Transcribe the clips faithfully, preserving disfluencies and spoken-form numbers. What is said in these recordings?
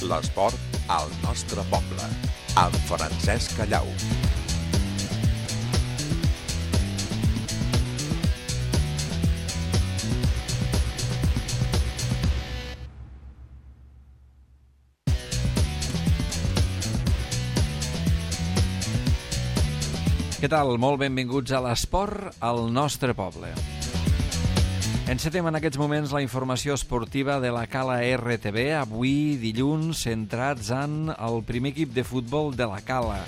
L'esport al nostre poble, amb Francesc Callau. Què tal? Molt benvinguts a l'esport al nostre poble. Encetem en aquests moments la informació esportiva de la Cala R T B, avui dilluns centrats en el primer equip de futbol de la Cala.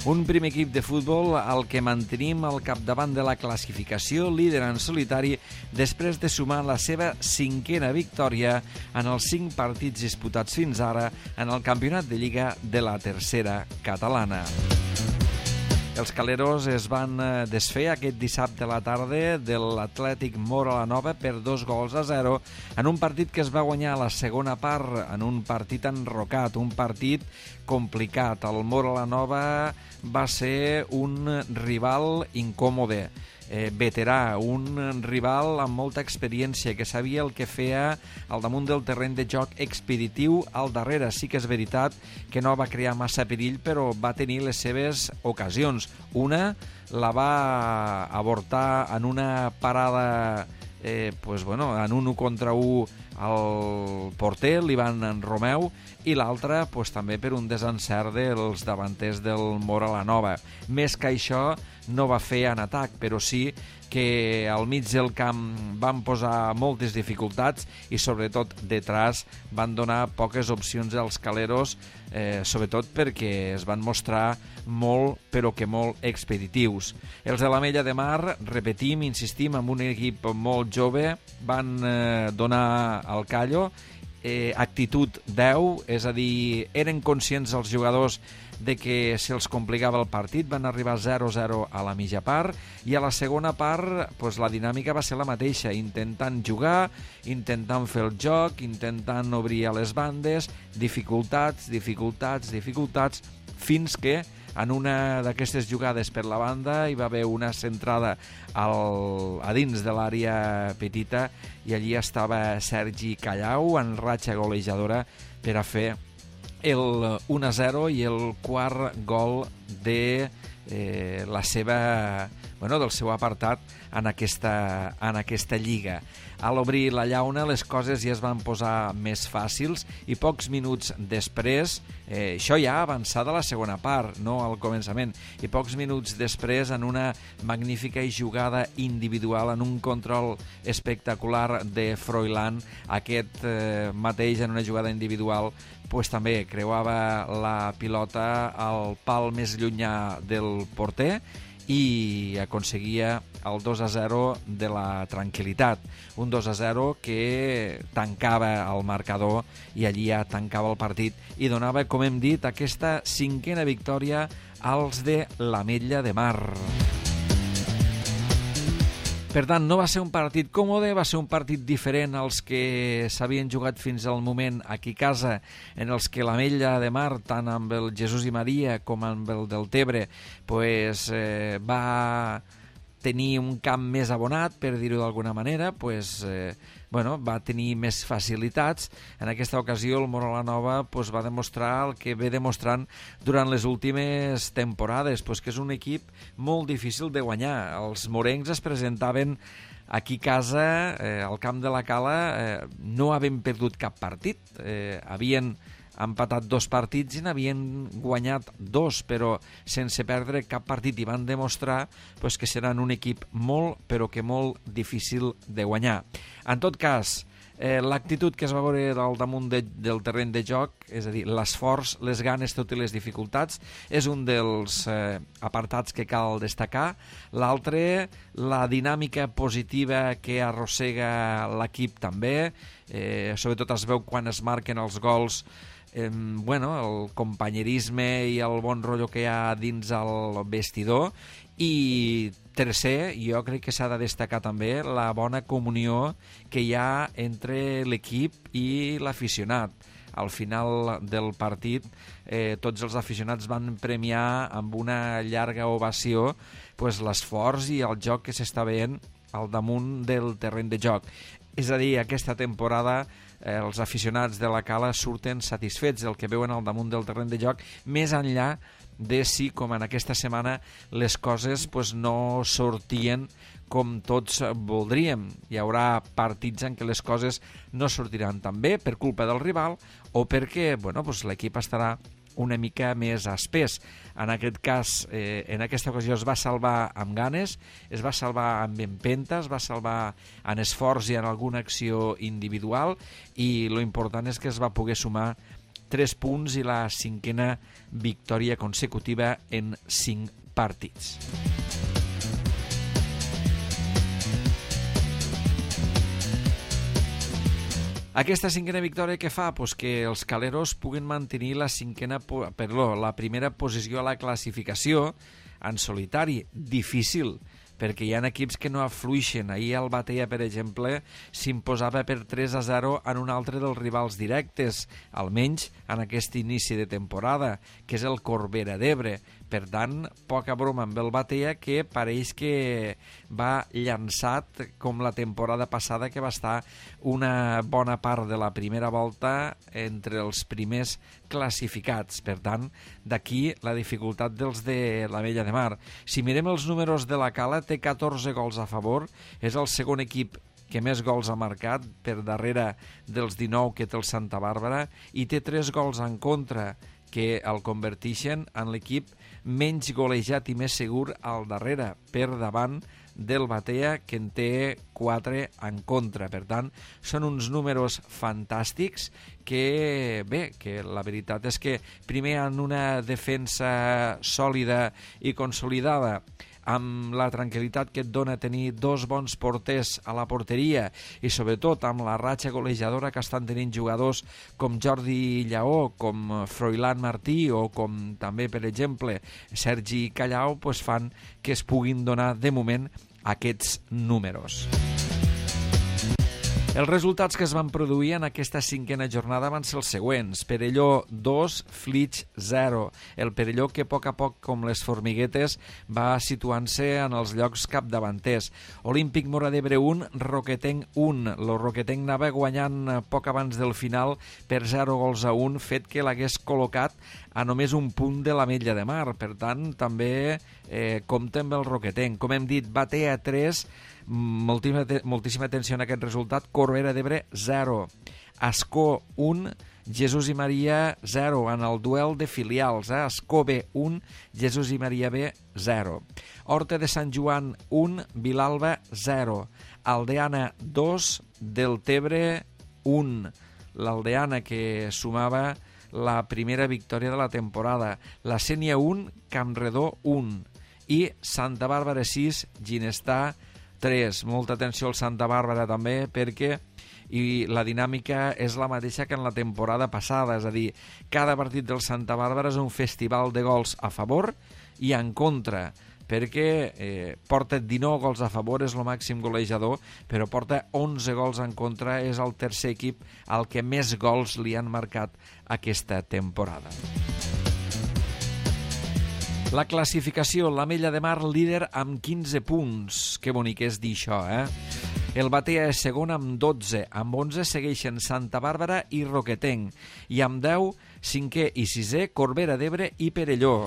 Un primer equip de futbol al que mantenim al capdavant de la classificació, líder en solitari, després de sumar la seva cinquena victòria en els cinc partits disputats fins ara en el campionat de Lliga de la tercera catalana. Els caleros es van desfer aquest dissabte a la tarda de l'Atlètic Móra la Nova per dos gols a zero en un partit que es va guanyar a la segona part, en un partit enrocat, un partit complicat. El Móra la Nova va ser un rival incòmode, eh, veterà, un rival amb molta experiència, que sabia el que feia al damunt del terreny de joc expeditiu al darrere. Sí que és veritat que no va crear massa perill, però va tenir les seves ocasions. Una la va avortar en una parada eh, pues bueno, en un u contra u al porter, l'Ivan Romeu, i l'altra pues, també per un desencert dels davanters del Móra la Nova. Més que això no va fer en atac, però sí que al mig del camp van posar moltes dificultats i sobretot detrás van donar poques opcions als caleros, eh, sobretot perquè es van mostrar molt, però que molt expeditius. Els de l'Ametlla de Mar, repetim, insistim, amb un equip molt jove, van eh, donar el callo, eh, actitud deu, és a dir, eren conscients els jugadors de que se'ls complicava el partit, van arribar zero a zero a la mitja part i a la segona part pues, la dinàmica va ser la mateixa, intentant jugar, intentant fer el joc, intentant obrir a les bandes, dificultats, dificultats, dificultats, fins que en una d'aquestes jugades per la banda hi va haver una centrada al, a dins de l'àrea petita i allí estava Sergi Callau en ratxa golejadora per a fer el u a zero i el quart gol de eh, la seva, bueno, del seu apartat en aquesta, en aquesta lliga. A l'obrir la llauna les coses ja es van posar més fàcils i pocs minuts després, eh, això ja avançada la segona part, no al començament, i pocs minuts després en una magnífica jugada individual, en un control espectacular de Froilán, aquest eh, mateix en una jugada individual pues, també creuava la pilota al pal més llunyà del porter i aconseguia el dos a zero de la tranquil·litat. Un dos a zero que tancava el marcador i allí ja tancava el partit i donava, com hem dit, aquesta cinquena victòria als de l'Ametlla de Mar. Per tant, no va ser un partit còmode, va ser un partit diferent als que s'havien jugat fins al moment aquí a casa, en els que l'Ametlla de Mar, tant amb el Jesús i Maria com amb el del Tebre, pues, eh, va tenir un camp més abonat, per dir-ho d'alguna manera, pues, eh, bueno, va tenir més facilitats. En aquesta ocasió el Móra la Nova pues, va demostrar el que ve demostrant durant les últimes temporades, pues, que és un equip molt difícil de guanyar. Els morencs es presentaven aquí a casa, eh, al camp de la Cala, eh, no havien perdut cap partit, eh, havien empatat dos partits i n'havien guanyat dos, però sense perdre cap partit, i van demostrar pues, que seran un equip molt, però que molt difícil de guanyar. En tot cas, eh, l'actitud que es va veure al damunt de, del terreny de joc, és a dir, l'esforç, les ganes, tot i les dificultats, és un dels eh, apartats que cal destacar. L'altre, la dinàmica positiva que arrossega l'equip també, eh, sobretot es veu quan es marquen els gols, Eh, bueno, el companyerisme i el bon rotllo que hi ha dins el vestidor. I tercer, jo crec que s'ha de destacar també la bona comunió que hi ha entre l'equip i l'aficionat. Al final del partit eh, tots els aficionats van premiar amb una llarga ovació pues, l'esforç i el joc que s'està veient al damunt del terreny de joc. És a dir, aquesta temporada eh, els aficionats de la Cala surten satisfets del que veuen al damunt del terreny de joc, més enllà de si, com en aquesta setmana, les coses pues, no sortien com tots voldríem. Hi haurà partits en què les coses no sortiran tan bé per culpa del rival o perquè bueno, pues, l'equip estarà una mica més espès. En aquest cas, eh, en aquesta ocasió es va salvar amb ganes, es va salvar amb empenta, es va salvar en esforç i en alguna acció individual, i lo important és que es va poder sumar tres punts i la cinquena victòria consecutiva en cinc partits. Aquesta cinquena victòria què fa? Pues que els caleros puguen mantenir la cinquena, perdó, la primera posició a la classificació en solitari. Difícil, perquè hi ha equips que no afluixen. Ahir el Batea, per exemple, s'imposava per tres a zero en un altre dels rivals directes, almenys en aquest inici de temporada, que és el Corbera d'Ebre. Per tant, poca broma amb el Batea, que pareix que va llançat com la temporada passada, que va estar una bona part de la primera volta entre els primers classificats. Per tant, d'aquí la dificultat dels de l'Ametlla de Mar. Si mirem els números de la Cala, té catorze gols a favor, és el segon equip que més gols ha marcat, per darrere dels dinou que té el Santa Bàrbara, i té tres gols en contra, que el converteixen en l'equip menys golejat i més segur al darrere, per davant del Batea, que en té quatre en contra. Per tant, són uns números fantàstics que, bé, que la veritat és que primer en una defensa sòlida i consolidada, amb la tranquil·litat que et dona tenir dos bons porters a la porteria i sobretot amb la ratxa golejadora que estan tenint jugadors com Jordi Lleó, com Froilán Martí o com també, per exemple, Sergi Callau, pues fan que es puguin donar de moment aquests números. Els resultats que es van produir en aquesta cinquena jornada van ser els següents. Perelló dos, Flix zero. El Perelló que a poc a poc, com les formiguetes, va situant-se en els llocs capdavanters. Olímpic Móra d'Ebre un, Roquetenc un. El Roquetenc anava guanyant poc abans del final per zero gols a un, fet que l'hagués col·locat a només un punt de l'Ametlla de Mar. Per tant, també eh, compta amb el Roquetenc. Com hem dit, Batea tres, moltíssima, moltíssima atenció en aquest resultat. Corbera d'Ebre zero, Ascó un, Jesús i Maria zero en el duel de filials. eh? Ascó B un, Jesús i Maria B zero. Horta de Sant Joan un, Vilalba zero. Aldeana dos, Deltebre un. L'Aldeana que sumava la primera victòria de la temporada. La Sénia un, Campredó un. I Santa Bàrbara sis, Ginestar tres. Molta atenció al Santa Bàrbara també, perquè i la dinàmica és la mateixa que en la temporada passada, és a dir, cada partit del Santa Bàrbara és un festival de gols a favor i en contra, perquè eh, porta dinou gols a favor, és el màxim golejador, però porta onze gols en contra, és el tercer equip al que més gols li han marcat aquesta temporada. La classificació, l'Ametlla de Mar líder amb quinze punts. Que bonic és dir això, eh? El Batea és segon amb dotze. Amb onze segueixen Santa Bàrbara i Roquetenc. I amb deu, cinquè i sisè, Corbera d'Ebre i Perelló.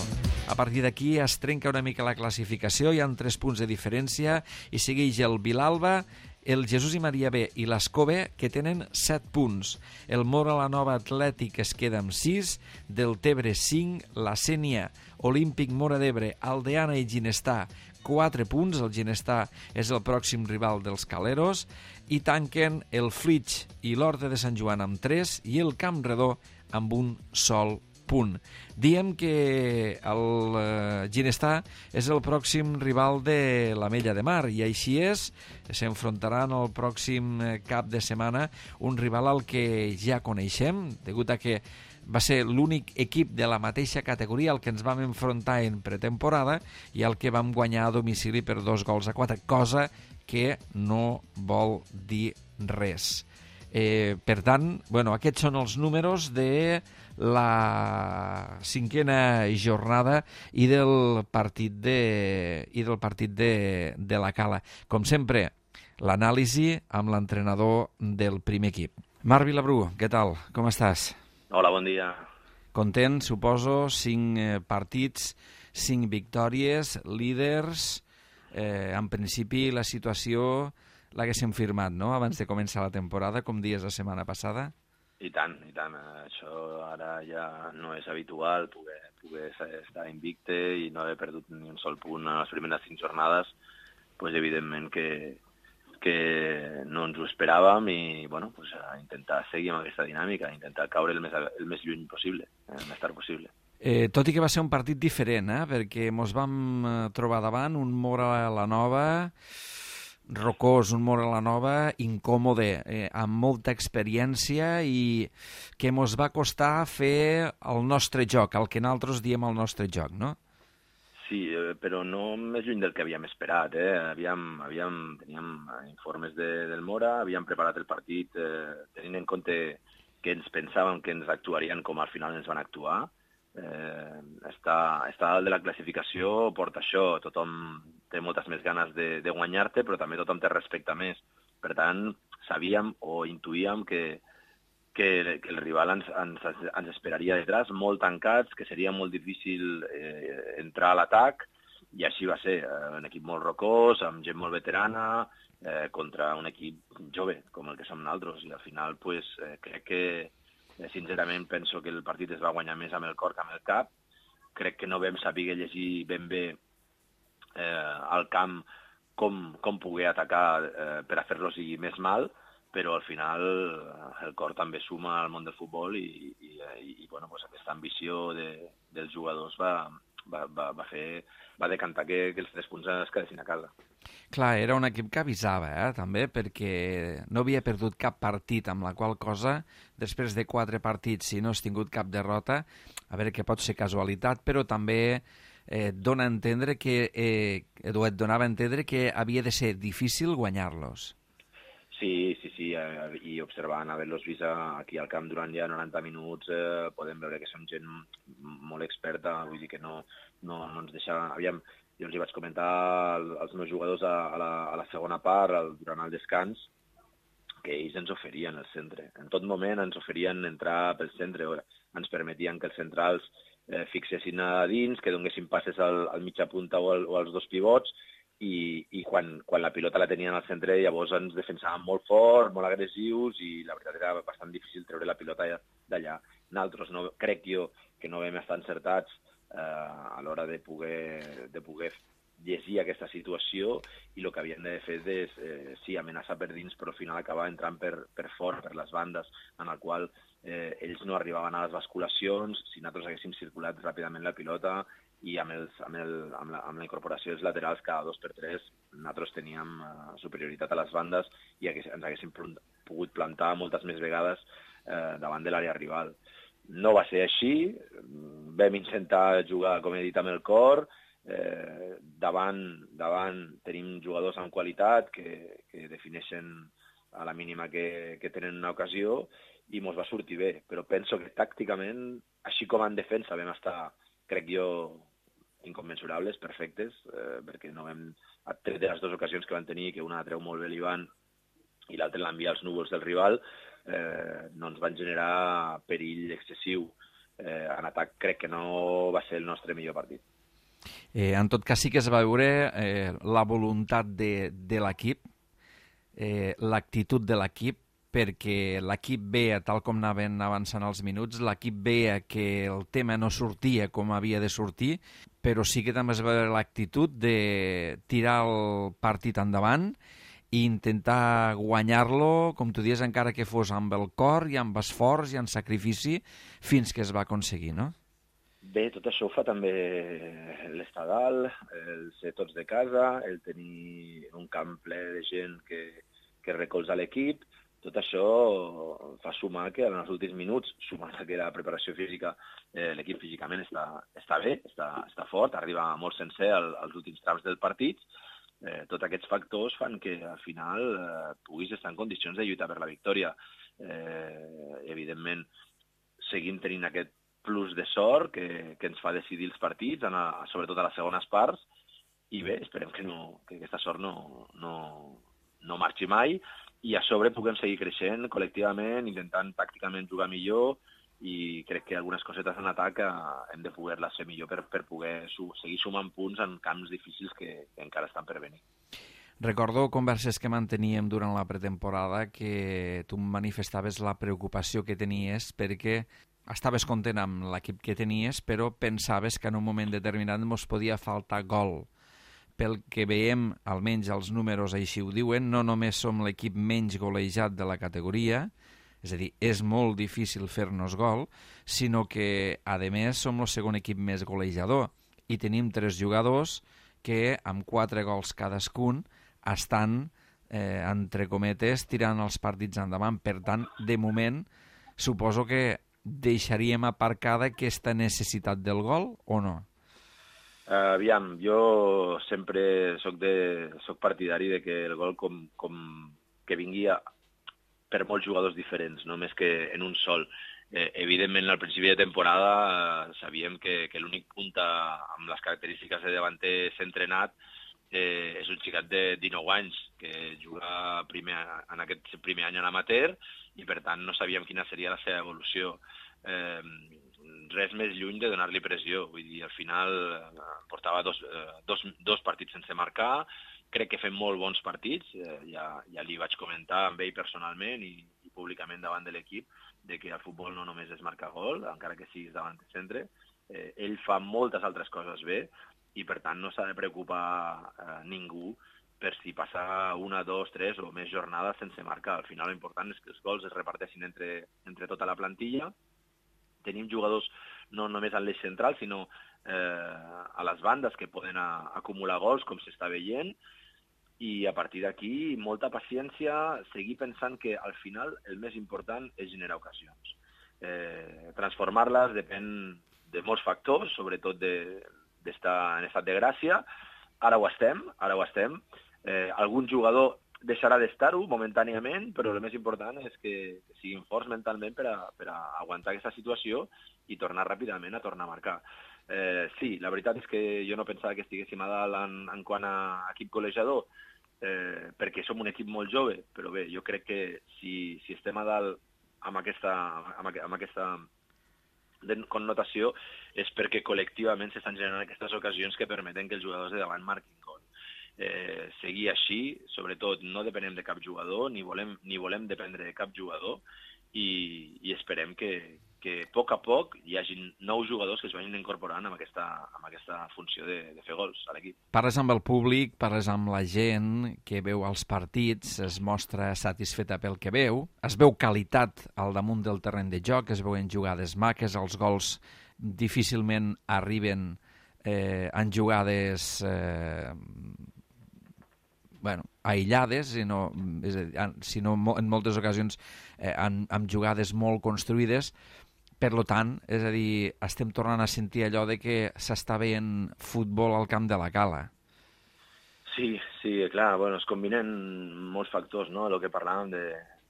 A partir d'aquí es trenca una mica la classificació, hi ha tres punts de diferència i segueix el Vilalba, el Jesús i Maria B i l'Ascó B, que tenen set punts. El Móra la Nova Atlètic es queda amb sis, Deltebre cinc, la Sénia, Olímpic Móra d'Ebre, Aldeana i Ginestar quatre punts. El Ginestar és el pròxim rival dels caleros, i tanquen el Flix i l'Horta de Sant Joan amb tres i el Campredó amb un sol punt. Diem que el eh, Ginestar és el pròxim rival de l'Ametlla de Mar, i així és, s'enfrontaran el pròxim cap de setmana un rival al que ja coneixem, degut a que va ser l'únic equip de la mateixa categoria al que ens vam enfrontar en pretemporada i al que vam guanyar a domicili per dos gols a quatre, cosa que no vol dir res. Eh, per tant, bueno, aquests són els números de la cinquena jornada i del partit de, i del partit de, de la Cala. Com sempre, l'anàlisi amb l'entrenador del primer equip. Marc Vilabrú, què tal? Com estàs? Hola, bon dia. Content, suposo, cinc eh, partits, cinc victòries, líders. Eh, en principi, la situació l'haguéssim firmat, no?, abans de començar la temporada, com dies la setmana passada. I tant, i tant. Això ara ja no és habitual, poder, poder estar invicte i no haver perdut ni un sol punt en les primeres cinc jornades, pues, evidentment que, que no ens ho esperàvem i bueno, pues, a intentar seguir amb aquesta dinàmica, a intentar caure el més, el més lluny possible, el més tard possible. Eh, tot i que va ser un partit diferent, eh? perquè mos vam trobar davant un Mora la Nova rocós, un Mora la Nova incòmode, eh, amb molta experiència i que mos va costar fer el nostre joc, el que nosaltres diem el nostre joc, no? Sí, eh, però no més lluny del que havíem esperat. Eh? Havíem, havíem, teníem informes de, del Mora, havíem preparat el partit eh, tenint en compte que ens pensàvem que ens actuarien com al final ens van actuar. Eh, estar, estar dalt de la classificació porta això, tothom té moltes més ganes de, de guanyar-te, però també tothom té respecte més. Per tant, sabíem o intuïem que, que, que el rival ens, ens, ens esperaria detrás, molt tancats, que seria molt difícil eh, entrar a l'atac, i així va ser. Eh, un equip molt rocós, amb gent molt veterana, eh, contra un equip jove, com el que som nosaltres, i al final pues, eh, crec que sincerament penso que el partit es va guanyar més amb el cor que amb el cap. Crec que no vam saber llegir ben bé eh, al camp com, com poder atacar eh, per a fer-lo sigui més mal, però al final el cor també suma al món del futbol i, i, i, i bueno, pues aquesta ambició de, dels jugadors va, va, va, va, fer, va decantar que, que els tres punts es quedessin a casa. Clar, era un equip que avisava, eh, també, perquè no havia perdut cap partit, amb la qual cosa, després de quatre partits, si no has tingut cap derrota, a veure que pot ser casualitat, però també eh, dona a entendre que, eh, Edu, et donava a entendre que havia de ser difícil guanyar-los. Sí, sí, sí, eh, i observant, haver-los vist aquí al camp durant ja noranta minuts, eh, podem veure que són gent molt experta, vull dir que no, no, no ens deixa... Aviam, jo els hi vaig comentar als meus jugadors a, a, la, a la segona part, al, durant el descans, que ells ens oferien el centre. En tot moment ens oferien entrar pel centre, ens permetien que els centrals eh, fixessin a dins, que donessin passes al, al mitja punta o, al, o als dos pivots, i, i quan, quan la pilota la tenien al centre llavors ens defensàvem molt fort, molt agressius, i la veritat era bastant difícil treure la pilota d'allà. Nosaltres no, crec jo que no vam estar encertats eh, a l'hora de poder, de poder llegir aquesta situació, i el que havien de fer és, eh, sí, amenaçar per dins, però al final acabar entrant per, per fort, per les bandes, en el qual eh, ells no arribaven a les basculacions. Si nosaltres haguéssim circulat ràpidament la pilota, i amb, els, amb, el, amb, la, amb la incorporació dels laterals cada dos per tres, nosaltres teníem uh, superioritat a les bandes i hagués, ens haguéssim pogut plantar moltes més vegades uh, davant de l'àrea rival. No va ser així, vam intentar jugar, com he dit, amb el cor, eh, davant, davant tenim jugadors amb qualitat que, que defineixen a la mínima que, que tenen una ocasió, i mos va sortir bé, però penso que tàcticament, així com en defensa vam estar, crec jo, incommensurables, perfectes, eh, perquè no vam... Tret de les dues ocasions que van tenir, que una treu molt bé l'Ivan i l'altra l'envia als núvols del rival, eh, no ens van generar perill excessiu. Eh, en atac crec que no va ser el nostre millor partit. Eh, en tot cas sí que es va veure eh, la voluntat de, de l'equip, eh, l'actitud de l'equip, perquè l'equip veia, tal com anaven avançant els minuts, l'equip veia que el tema no sortia com havia de sortir, però sí que també es va veure l'actitud de tirar el partit endavant i intentar guanyar-lo, com tu dius, encara que fos amb el cor i amb esforç i amb sacrifici, fins que es va aconseguir, no? Bé, tot això ho fa també l'estar dalt, el ser tots de casa, el tenir un camp ple de gent que, que recolza l'equip. Tot això fa sumar que en els últims minuts, sumant que la preparació física, eh, l'equip físicament està, està bé, està, està fort, arriba molt sencer al, als últims trams del partit. Eh, tots aquests factors fan que al final eh, puguis estar en condicions de lluitar per la victòria. Eh, evidentment, seguim tenint aquest plus de sort que, que ens fa decidir els partits, en a, sobretot a les segones parts, i bé, esperem que, no, que aquesta sort no, no, no marxi mai, i a sobre puguem seguir creixent col·lectivament, intentant tàcticament jugar millor, i crec que algunes cosetes en atac eh, hem de poder-les fer millor per, per poder su seguir sumant punts en camps difícils que, que encara estan per venir. Recordo converses que manteníem durant la pretemporada que tu manifestaves la preocupació que tenies perquè estaves content amb l'equip que tenies, però pensaves que en un moment determinat ens podia faltar gol. Pel que veiem, almenys els números així ho diuen, no només som l'equip menys golejat de la categoria, és a dir, és molt difícil fer-nos gol, sinó que, a més, som el segon equip més golejador i tenim tres jugadors que, amb quatre gols cadascun, estan, eh, entre cometes, tirant els partits endavant. Per tant, de moment, suposo que deixaríem aparcada aquesta necessitat del gol o no? Uh, aviam, jo sempre soc, de, soc partidari de que el gol com, com que vingui a, per molts jugadors diferents, no més que en un sol. Eh, evidentment, al principi de temporada eh, sabíem que, que l'únic punta amb les característiques de davanter entrenat eh, és un xicat de dinou anys que juga primer, en aquest primer any a l'amateur i, per tant, no sabíem quina seria la seva evolució. Eh, res més lluny de donar-li pressió. Vull dir, al final eh, portava dos, eh, dos, dos partits sense marcar, crec que fem molt bons partits, eh, ja, ja li vaig comentar amb ell personalment i, i públicament davant de l'equip, de que el futbol no només és marcar gol, encara que siguis davant de centre, eh, ell fa moltes altres coses bé i per tant no s'ha de preocupar eh, ningú per si passa una, dos, tres o més jornades sense marcar. Al final l'important és que els gols es reparteixin entre, entre tota la plantilla. Tenim jugadors no només en l'eix central, sinó eh, a les bandes que poden a, acumular gols, com s'està veient, i a partir d'aquí molta paciència, seguir pensant que al final el més important és generar ocasions. Eh, transformar-les depèn de molts factors, sobretot d'estar en estat de gràcia. Ara ho estem, ara ho estem. Eh, algun jugador deixarà d'estar-ho momentàniament, però el més important és que, que siguin forts mentalment per a, per a aguantar aquesta situació i tornar ràpidament a tornar a marcar. Eh, sí, la veritat és que jo no pensava que estiguéssim a dalt en, en quant a equip col·legiador, eh, perquè som un equip molt jove, però bé, jo crec que si, si estem a dalt amb aquesta, amb, amb aquesta connotació és perquè col·lectivament s'estan generant aquestes ocasions que permeten que els jugadors de davant marquin gol. Eh, seguir així, sobretot no depenem de cap jugador, ni volem, ni volem dependre de cap jugador i, i esperem que, que a poc a poc hi hagi nous jugadors que es vagin incorporant amb aquesta, amb aquesta funció de, de fer gols a l'equip. Parles amb el públic, parles amb la gent que veu els partits, es mostra satisfeta pel que veu, es veu qualitat al damunt del terreny de joc, es veuen jugades maques, els gols difícilment arriben eh, en jugades eh, bueno, aïllades, sinó, és a dir, sinó en moltes ocasions eh, amb, amb jugades molt construïdes. Per tant, és a dir, estem tornant a sentir allò de que s'està veient futbol al camp de la Cala. Sí, sí, clar, bueno, es combinen molts factors, no?, el que parlàvem de,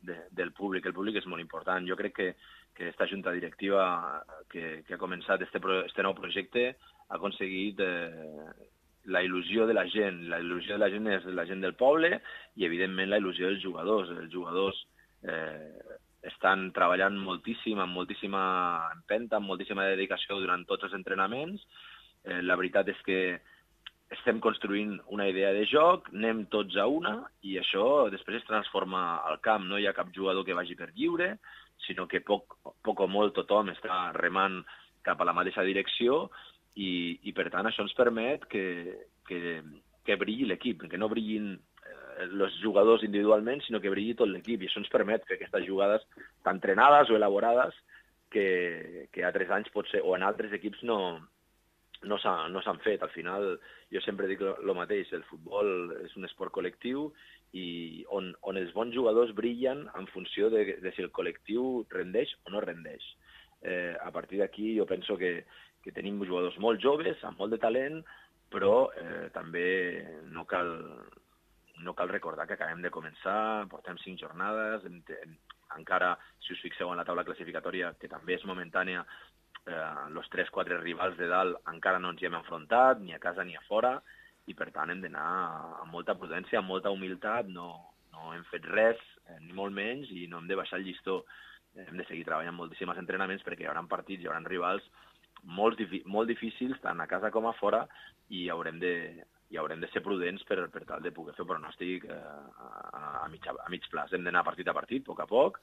de, del públic. El públic és molt important. Jo crec que, que aquesta junta directiva que, que ha començat este, este nou projecte ha aconseguit eh, la il·lusió de la gent. La il·lusió de la gent és la gent del poble i, evidentment, la il·lusió dels jugadors. Els jugadors eh, estan treballant moltíssim, amb moltíssima empenta, amb moltíssima dedicació durant tots els entrenaments. Eh, la veritat és que estem construint una idea de joc, anem tots a una i això després es transforma al camp. No hi ha cap jugador que vagi per lliure, sinó que poc, poc o molt tothom està remant cap a la mateixa direcció i, i per tant això ens permet que, que, que brilli l'equip, que no brillin els jugadors individualment, sinó que brilli tot l'equip, i això ens permet fer aquestes jugades tan entrenades o elaborades que, que a tres anys potser, o en altres equips no, no s'han no fet. Al final, jo sempre dic el mateix, el futbol és un esport col·lectiu i on, on els bons jugadors brillen en funció de, de si el col·lectiu rendeix o no rendeix. Eh, a partir d'aquí jo penso que, que tenim jugadors molt joves, amb molt de talent, però eh, també no cal, no cal recordar que acabem de començar, portem cinc jornades, en, en, encara, si us fixeu en la taula classificatòria, que també és momentània, els eh, tres quatre rivals de dalt encara no ens hi hem enfrontat, ni a casa ni a fora, i per tant hem d'anar amb molta prudència, amb molta humilitat, no, no hem fet res, eh, ni molt menys, i no hem de baixar el llistó. Hem de seguir treballant moltíssims entrenaments perquè hi haurà partits, hi haurà rivals molt, molt difícils, tant a casa com a fora, i haurem de, i haurem de ser prudents per, per tal de poder fer pronòstic eh, a, a, mig, a mig plaç. Hem d'anar partit a partit, a poc a poc,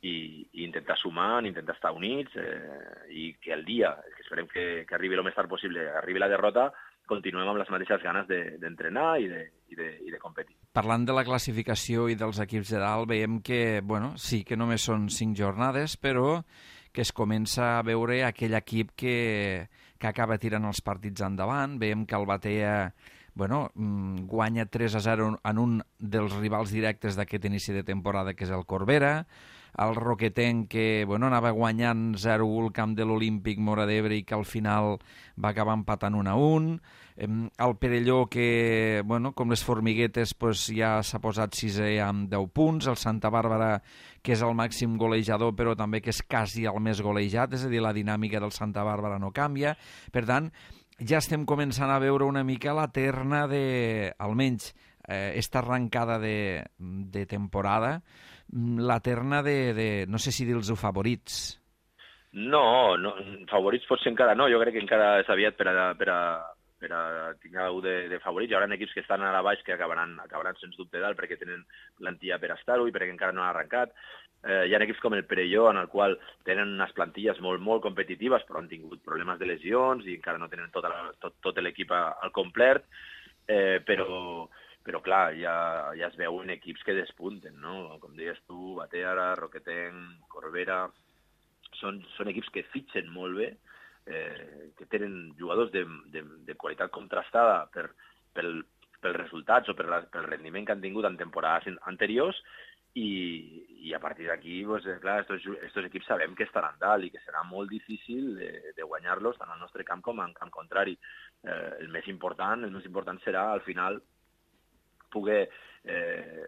i, i intentar sumar, intentar estar units, eh, i que el dia, que esperem que, que arribi el més tard possible, arribi la derrota, continuem amb les mateixes ganes d'entrenar de, i, de, i, de, i de competir. Parlant de la classificació i dels equips de dalt, veiem que, bueno, sí que només són cinc jornades, però que es comença a veure aquell equip que, que acaba tirant els partits endavant. Veiem que el Batea, bueno, guanya tres a zero en un dels rivals directes d'aquest inici de temporada, que és el Corbera. El Roquetenc, que bueno, anava guanyant zero a u al camp de l'Olímpic Móra d'Ebre i que al final va acabar empatant un a un. El Perelló, que bueno, com les formiguetes pues, ja s'ha posat sisè amb deu punts. El Santa Bàrbara, que és el màxim golejador, però també que és quasi el més golejat, és a dir, la dinàmica del Santa Bàrbara no canvia. Per tant, ja estem començant a veure una mica la terna de, almenys, eh, esta arrencada de, de temporada, la terna de, de no sé si dir-los favorits. No, no, favorits potser encara no, jo crec que encara és aviat per a, per a, per a tenir algú de, de favorits. Hi haurà equips que estan a la baix que acabaran, acabaran sens dubte dalt perquè tenen plantilla per estar-ho i perquè encara no han arrencat. Eh, hi ha equips com el Perelló, en el qual tenen unes plantilles molt, molt competitives, però han tingut problemes de lesions i encara no tenen tota la, tot, tot l'equip al complet, eh, però... però clar, ja, ja es veuen equips que despunten, no? Com deies tu, Batea, Roquetenc, Corbera, són, són equips que fitxen molt bé, eh, que tenen jugadors de, de, de qualitat contrastada per, pel, pels resultats o per la, pel rendiment que han tingut en temporades anteriors, i, i a partir d'aquí, pues, clar, estos, estos equips sabem que estaran dalt i que serà molt difícil de, de guanyar-los tant al nostre camp com en camp contrari. Eh, el més important, el més important serà, al final, poder eh,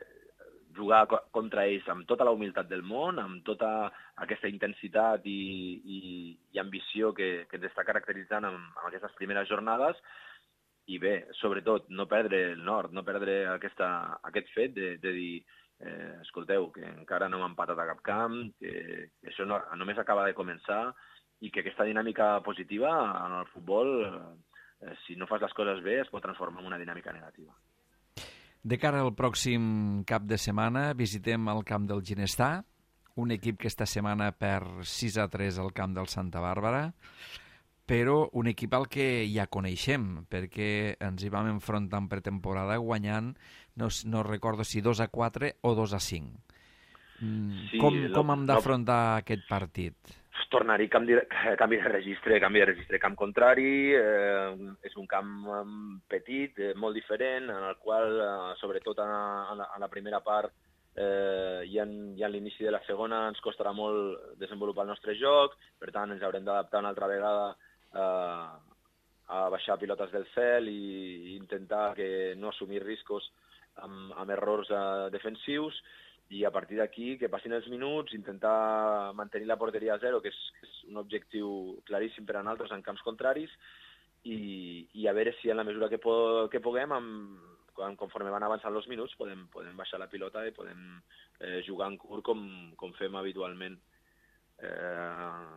jugar contra ells amb tota la humilitat del món, amb tota aquesta intensitat i, i, i ambició que, que ens està caracteritzant en, en aquestes primeres jornades, i bé, sobretot, no perdre el nord, no perdre aquesta, aquest fet de, de dir eh, escolteu, que encara no hem empatat a cap camp, que això no, només acaba de començar, i que aquesta dinàmica positiva en el futbol, eh, si no fas les coses bé, es pot transformar en una dinàmica negativa. De cara al pròxim cap de setmana visitem el camp del Ginestar, un equip que esta setmana perd sis a tres al camp del Santa Bàrbara, però un equip al que ja coneixem, perquè ens hi vam enfrontar en pretemporada guanyant, no, no recordo si dos a quatre o dos a cinc. Sí, com, com hem d'afrontar no... aquest partit? Tornar-hi canvi, canvi de registre, canvi de registre camp contrari, eh, és un camp petit, eh, molt diferent, en el qual, eh, sobretot a, a, la, a la primera part eh, i en, i en l'inici de la segona ens costarà molt desenvolupar el nostre joc, per tant ens haurem d'adaptar una altra vegada eh, a baixar pilotes del cel i, i intentar que no assumir riscos amb, amb errors eh, defensius, i a partir d'aquí, que passin els minuts, intentar mantenir la porteria a zero, que és, que és un objectiu claríssim per a nosaltres en camps contraris, i, i a veure si en la mesura que, po que puguem, amb, conforme van avançant els minuts, podem, podem baixar la pilota i podem eh, jugar en curt com, com fem habitualment. Eh,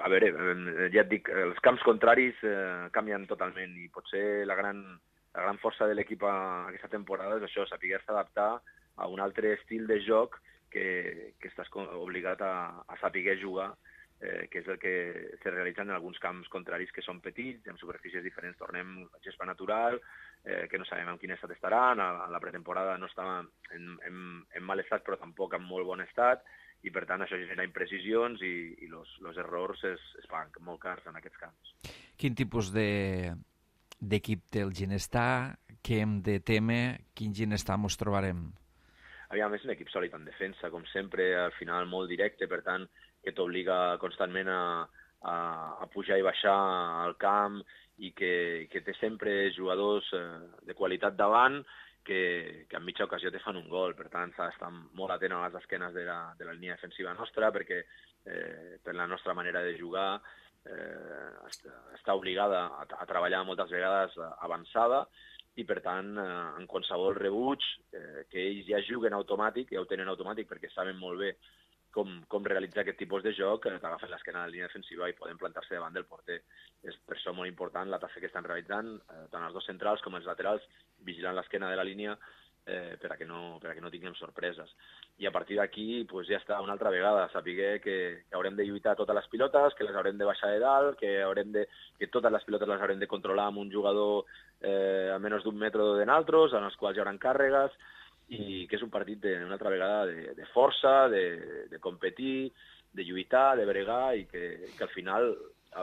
a veure, ja et dic, els camps contraris eh, canvien totalment, i potser la gran... La gran força de l'equip aquesta temporada és això, saber-se adaptar a un altre estil de joc que, que estàs obligat a, a saber jugar, eh, que és el que se realitza en alguns camps contraris que són petits, en superfícies diferents. Tornem a gespa natural, eh, que no sabem en quin estat estaran, a, a la pretemporada no estava en, en, en mal estat, però tampoc en molt bon estat, i per tant això genera imprecisions i, i los, los errors es, es fan molt cars en aquests camps. Quin tipus de... d'equip té el Ginestar, què hem de temer, quin Ginestar mos trobarem? Aviam, és un equip sòlid en defensa, com sempre, al final molt directe, per tant, que t'obliga constantment a, a, a pujar i baixar al camp, i que, que té sempre jugadors eh, de qualitat davant, que, que en mitja ocasió te fan un gol. Per tant, s'ha d'estar molt atent a les esquenes de la, de la línia defensiva nostra, perquè eh, per la nostra manera de jugar eh, està, està obligada a, a treballar moltes vegades avançada, i per tant, eh, en qualsevol rebuig, eh, que ells ja juguen automàtic, ja ho tenen automàtic perquè saben molt bé com, com realitzar aquest tipus de joc, eh, t'agafen l'esquena de la línia defensiva i poden plantar-se davant del porter. És per això molt important la tasca que estan realitzant, eh, tant els dos centrals com els laterals, vigilant l'esquena de la línia eh, per a que no, per a que no tinguem sorpreses. I a partir d'aquí pues, ja està una altra vegada, saber que, que haurem de lluitar totes les pilotes, que les haurem de baixar de dalt, que, haurem de, que totes les pilotes les haurem de controlar amb un jugador eh, a menys d'un metre de naltros, en els quals hi haurà càrregues, i que és un partit de, una altra vegada de, de força, de, de competir, de lluitar, de bregar, i que, que al final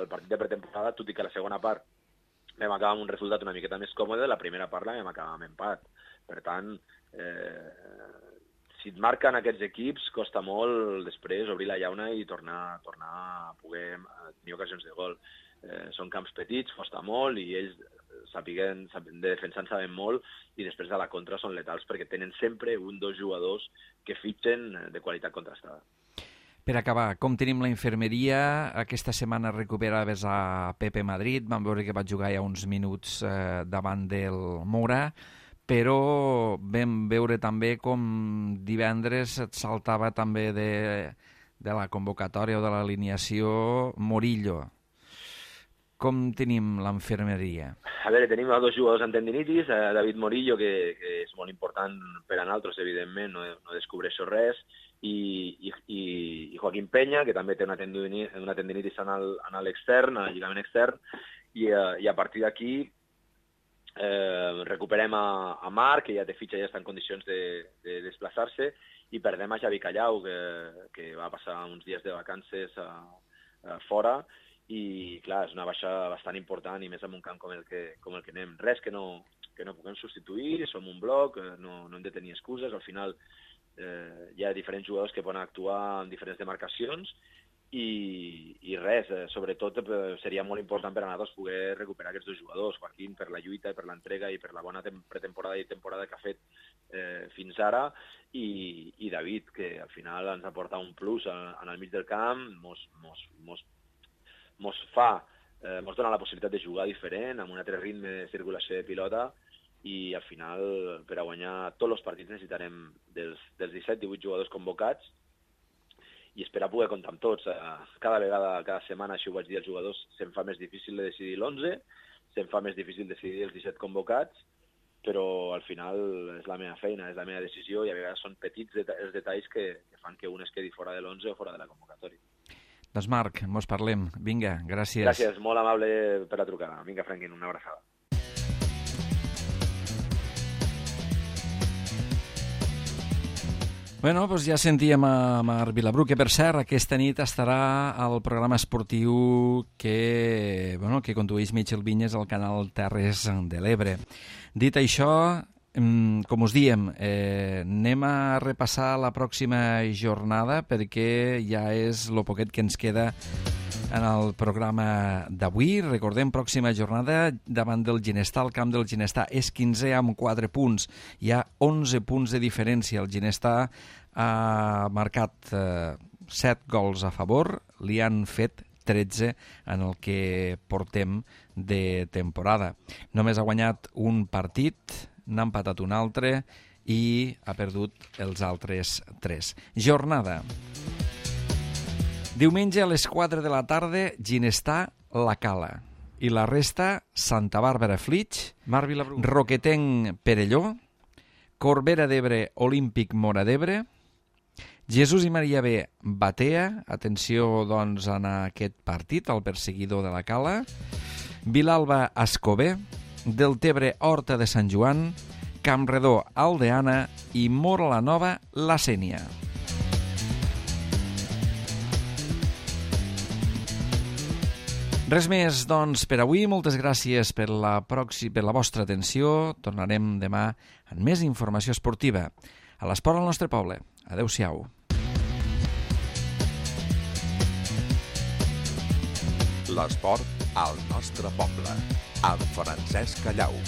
el partit de pretemporada, tot i que la segona part vam acabar amb un resultat una miqueta més còmode, la primera part la vam acabar amb empat. Per tant, eh, si et marquen aquests equips, costa molt després obrir la llauna i tornar, tornar a poder tenir ocasions de gol. Eh, són camps petits, costa molt, i ells sapiguen, de defensar en saben molt, i després de la contra són letals, perquè tenen sempre un dos jugadors que fitxen de qualitat contrastada. Per acabar, com tenim la infermeria? Aquesta setmana recuperaves a Pepe Madrid, vam veure que va jugar ja uns minuts eh, davant del Mora, però vam veure també com divendres et saltava també de, de la convocatòria o de l'alineació Morillo. Com tenim l'infermeria? A veure, tenim dos jugadors amb tendinitis, eh, David Morillo, que, que és molt important per a nosaltres, evidentment, no, no descobreixo res, i, i, i Joaquín Peña, que també té una tendinitis, una tendinitis en l'extern, al lligament extern, i, eh, i a partir d'aquí Eh, recuperem a, a Marc, que ja té fitxa i ja està en condicions de, de desplaçar-se, i perdem a Javi Callau, que, que va passar uns dies de vacances a, a fora, i clar, és una baixa bastant important, i més en un camp com el que, com el que anem. Res que no, que no puguem substituir, som un bloc, no, no hem de tenir excuses, al final eh, hi ha diferents jugadors que poden actuar en diferents demarcacions, I, i res, eh, sobretot eh, seria molt important per a nosaltres poder recuperar aquests dos jugadors, Joaquín per la lluita, per l'entrega i per la bona pretemporada i temporada que ha fet eh, fins ara, i, i David, que al final ens aporta un plus en, en el mig del camp, mos, mos, mos, mos fa, eh, mos dona la possibilitat de jugar diferent, amb un altre ritme de circulació de pilota, i al final per a guanyar tots els partits necessitarem dels, dels disset divuit jugadors convocats, i esperar poder comptar amb tots. Cada vegada, cada setmana, així ho vaig dir als jugadors, se'm fa més difícil de decidir l'onze, se'm fa més difícil decidir els disset convocats, però al final és la meva feina, és la meva decisió, i a vegades són petits deta- els detalls que, que fan que un es quedi fora de l'onze o fora de la convocatòria. Doncs Marc, mos parlem. Vinga, gràcies. Gràcies, molt amable per la trucada. Vinga, Franquín, una abraçada. Bueno, doncs ja sentíem a Marc Vilabru, que per cert aquesta nit estarà al programa esportiu que, bueno, que condueix Michel Vinyes al canal Terres de l'Ebre. Dit això, com us diem, eh, anem a repassar la pròxima jornada perquè ja és el poquet que ens queda en el programa d'avui. Recordem, pròxima jornada davant del Ginestar, el camp del Ginestar és quinzè amb quatre punts, hi ha onze punts de diferència. El Ginestar ha marcat eh, set gols a favor, li han fet tretze en el que portem de temporada. Només ha guanyat un partit, n'ha empatat un altre i ha perdut els altres tres. Jornada. Diumenge a les quatre de la tarda, Ginestar, La Cala. I la resta, Santa Bàrbara, Flix, Marc Vilabru, Roquetenc, Perelló, Corbera d'Ebre, Olímpic, Móra d'Ebre, Jesús i Maria B, Batea, atenció doncs en aquest partit, el perseguidor de La Cala, Vilalba, Escober, Deltebre, Horta de Sant Joan, Campredó, Aldeana i Móra la Nova, La Sénia. Res més, doncs, per avui. Moltes gràcies per la, proxi... per la vostra atenció. Tornarem demà amb més informació esportiva. A l'esport al nostre poble. Adéu-siau. L'esport al nostre poble. Amb Francesc Callau.